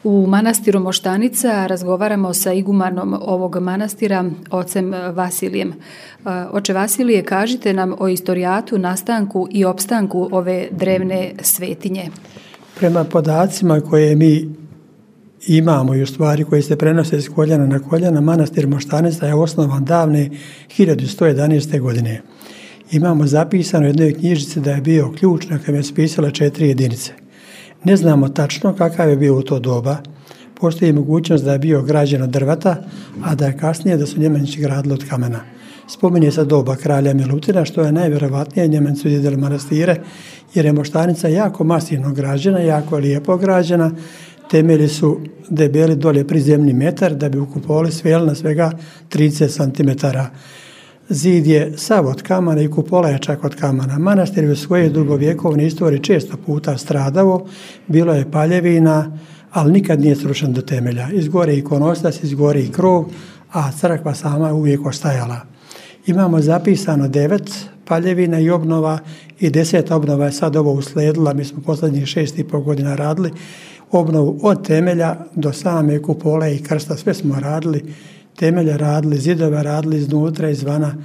U manastiru Moštanica razgovaramo sa igumanom ovog manastira, ocem Vasilijem. Oče Vasilije, kažite nam o istorijatu, nastanku i opstanku ove drevne svetinje. Prema podacima koje mi imamo i u stvari koji se prenose s koljena na koljena, manastir Moštanica je osnovan davne 1111. godine. Imamo zapisano u jednoj knjižici da je bio ključ na kojem je spisala 4 jedinice. Ne znamo tačno kakav je bio u to doba. Postoji mogućnost da je bio građen od drveta, a da je kasnije da su Njemanići gradili od kamena. Spominje se doba kralja Milutina, što je najvjerovatnije Njemanici su djedili manastire, jer je Moštanica jako masivno građena, jako lijepo građena. Temelji su debeli dolje prizemni metar, da bi u kupoli sveli na svega 30 cm. Zid je sav od kamana i kupola je čak od kamana. Manastir je u svojoj dugovjekovnoj istoriji često puta stradao, bilo je paljevina, ali nikad nije srušen do temelja. Izgore ikonostas, izgore i krov, a crkva sama je uvijek ostajala. Imamo zapisano 9 paljevina i obnova i 10 obnova je sad ovo usledila. Mi smo posljednjih 6,5 godina radili obnovu od temelja do same kupole i krsta. Sve smo radili, temelje radili, zidove radili iznutra, izvana,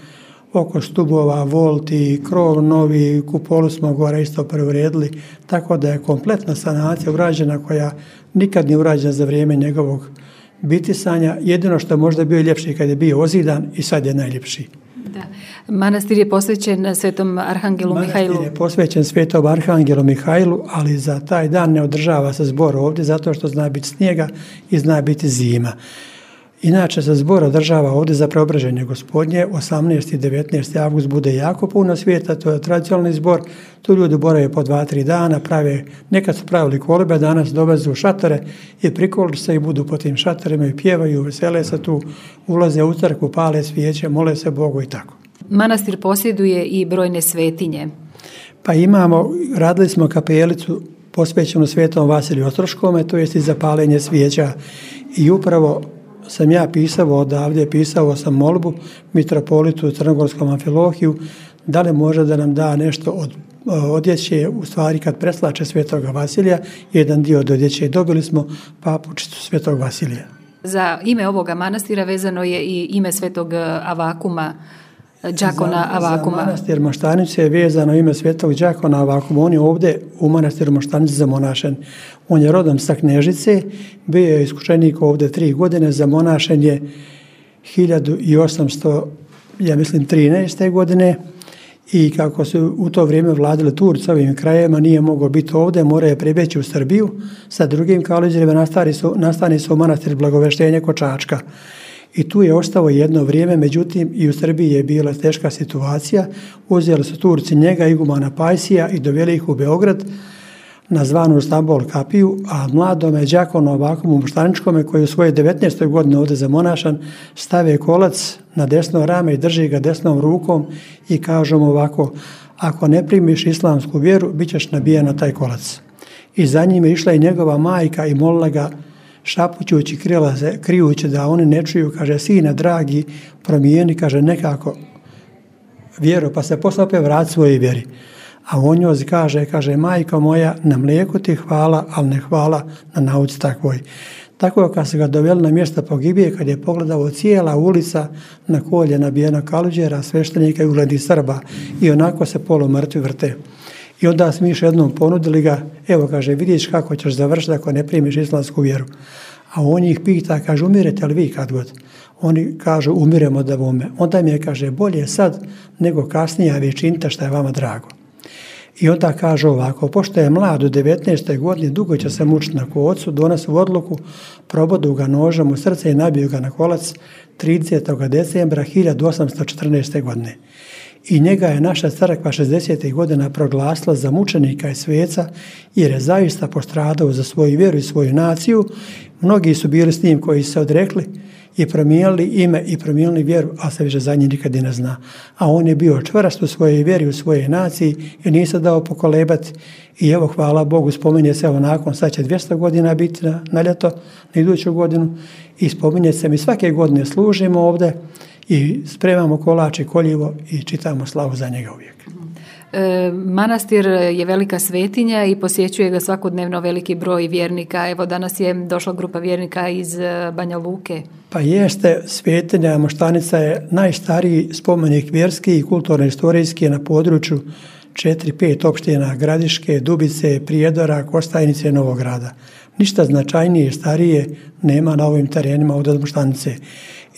oko stubova, volti, krov novi, kupolu smo gore isto preuredili, tako da je kompletna sanacija urađena koja nikad nije urađena za vrijeme njegovog bitisanja. Jedino što je možda bio ljepši kad je bio ozidan i sad je najljepši. Da. Manastir je posvećen Svetom Arhangelu Mihajlu. Manastir je posvećen Svetom Arhangelu Mihajlu, ali za taj dan ne održava se zbor ovdje zato što zna biti snijega i zna biti zima. Inače se zbor održava ovdje za Preobraženje Gospodnje, 18. i 19. avgust bude jako puno svijeta, to je tradicionalni zbor, tu ljudi borave po 2-3 dana, nekad su pravili kolebe, danas dovezu šatore i prikoliš se i budu po tim šatorima i pjevaju, vesele se tu, ulaze u crkvu, pale svijeće, mole se Bogu i tako. Manastir posjeduje i brojne svetinje. Pa radili smo kapelicu posvećenu Svetom Vasiliju Ostroškome, to jest i zapaljenje svijeća i upravo sam ja pisao odavdje, pisao sam molbu mitropolitu Crnogorskom Amfilohiju da li može da nam da nešto od odjeće, u stvari kad preslače Svetoga Vasilija, jedan dio od odjeće dobili smo papučicu Svetog Vasilija. Za ime ovoga manastira vezano je i ime Svetog Avakuma, Đakona Avakuma. Za manastir Moštanice je vezano ime Svetog Đakona Avakuma. On je ovdje u manastiru Moštanice zamonašen. On je rodom sa Knežice, bio je iskušenik ovdje 3 godine, zamonašen je 1813. godine i kako su u to vrijeme vladali Turci ovim krajevima, nije mogao biti ovdje, morao je pribjeći u Srbiju sa drugim kaluđerima, nastani su u manastir Blagoveštenje kod Čačka. I tu je ostao jedno vrijeme, međutim i u Srbiji je bila teška situacija. Uzeli su Turci njega, igumana Pajsija i doveli ih u Beograd na zvanu Stambol kapiju, a mladome Đakonu Avakumu Moštaničkome koji u svojoj 19. godini ovdje zamonašan stave kolac na desno rame i drži ga desnom rukom i kažu mu ovako: ako ne primiš islamsku vjeru, bit ćeš nabijen na taj kolac. I za njim je išla i njegova majka i molila ga šapućući, krijući da oni ne čuju, kaže: sine dragi, promijeni, kaže, nekako vjeru, pa se posle opet vrati svojoj vjeri. A on njoj kaže, majko moja, na mlijeku ti hvala, ali ne hvala na nauci takvoj. Tako kad se ga doveli na mjesto pogibije, kad je pogledao cijela ulica na kolje nabijena kaluđera, sveštenika i ugledi Srba i onako se polumrtvi vrte. I onda smo još jednom ponudili ga, evo, kaže, vidiš kako ćeš završiti ako ne primiš islamsku vjeru. A on ih pita, kaže, umirete li vi kad god? Oni kažu, umiremo da vome. Onda mi je, kaže, bolje sad nego kasnije, a vi činite što je vama drago. I onda kaže ovako: pošto je mlad u 19. godini, dugo će se mučiti na kolcu, donesu odluku, probodu ga nožem u srce i nabiju ga na kolac 30. decembra 1814. godine. I njega je naša crkva 60. godina proglasila za mučenika i sveca, jer je zaista postradao za svoju vjeru i svoju naciju. Mnogi su bili s njim koji su se odrekli i promijenili ime i promijenili vjeru, a se više za njih nikad i ne zna. A on je bio čvrst u svojoj vjeri, u svojoj naciji i nije se dao pokolebati. I evo, hvala Bogu, spominje se nakon, sad će 200 godina biti na ljeto, na iduću godinu, i spominje se, mi svake godine služimo ovdje i spremamo kolač i koljivo i čitamo slavu za njega uvijek. Manastir je velika svetinja i posjećuje ga svakodnevno veliki broj vjernika. Evo danas je došla grupa vjernika iz Banja Luke. Pa jeste, svetinja Moštanica je najstariji spomenik vjerski i kulturno-istorijski na području 4-5 opština Gradiške, Dubice, Prijedora, Kostajnice i Novog Grada. Ništa značajnije i starije nema na ovim terenima od Moštanice.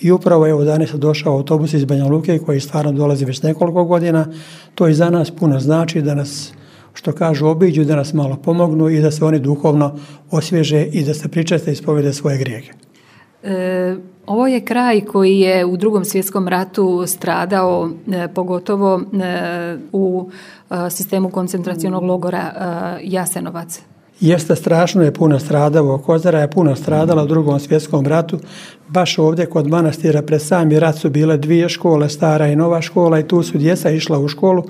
I upravo evo danas je došao autobus iz Banja Luke koji stvarno dolazi već nekoliko godina. To i za nas puno znači da nas, što kažu, obiđu, da nas malo pomognu i da se oni duhovno osvježe i da se pričeste i ispovede svoje grijehe. Ovo je kraj koji je u Drugom svjetskom ratu stradao, pogotovo u sistemu koncentracionog logora Jasenovac. Jeste, strašno je puno stradalo. Kozara je puno stradala u Drugom svjetskom ratu. Baš ovdje kod manastira pred sami rat su bile 2 škole, stara i nova škola, i tu su djeca išla u školu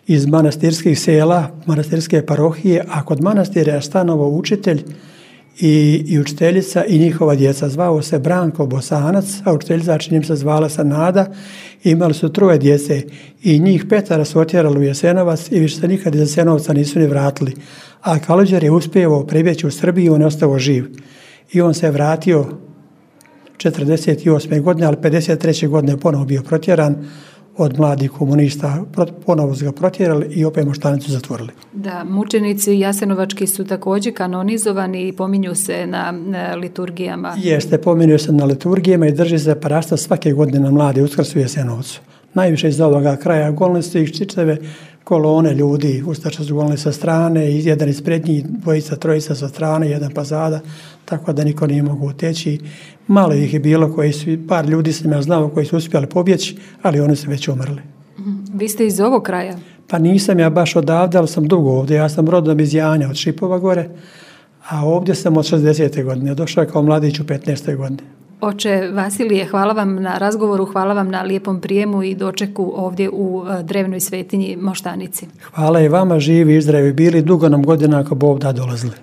iz manastirskih sela, manastirske parohije, a kod manastira je stanovao učitelj i učiteljica i njihova djeca. Zvao se Branko Bosanac, a učiteljica čini se zvala se Nada. Imali su 3 djece i njih 5 su otjerali u Jasenovac i više se nikad iz Jasenovca nisu ni vratili. A Kalođer je uspjevao prebjeći u Srbiju, on je ostao živ. I on se vratio 48. godine, ali 53. godine ponovo bio protjeran od mladih komunista, ponovo su ga protjerali i opet Moštanicu zatvorili. Da, mučenici jasenovački su također kanonizovani i pominju se na liturgijama. Jeste, pominju se na liturgijama i drži se parasta svake godine na mladi Uskrs u Jasenovcu. Najviše iz ovoga kraja golili su ih čitave kolone ljudi, ustaše su golili sa strane, jedan ispred njih, 2, 3 sa strane, jedan pozada, tako da niko nije mogu uteći. Malo ih je bilo, par ljudi sam ja znao koji su uspjeli pobjeći, ali oni su već umrli. Vi ste iz ovog kraja? Pa nisam ja baš odavde, ali sam dugo ovdje. Ja sam rodom iz Janja, od Šipova gore, a ovdje sam od 60. godine. Došao kao mladić u 15. godine. Oče Vasilije, hvala vam na razgovoru, hvala vam na lijepom prijemu i dočeku ovdje u drevnoj svetinji Moštanici. Hvala i vama, živi i zdravi bili, dugo nam godina ako Bog da dolazili.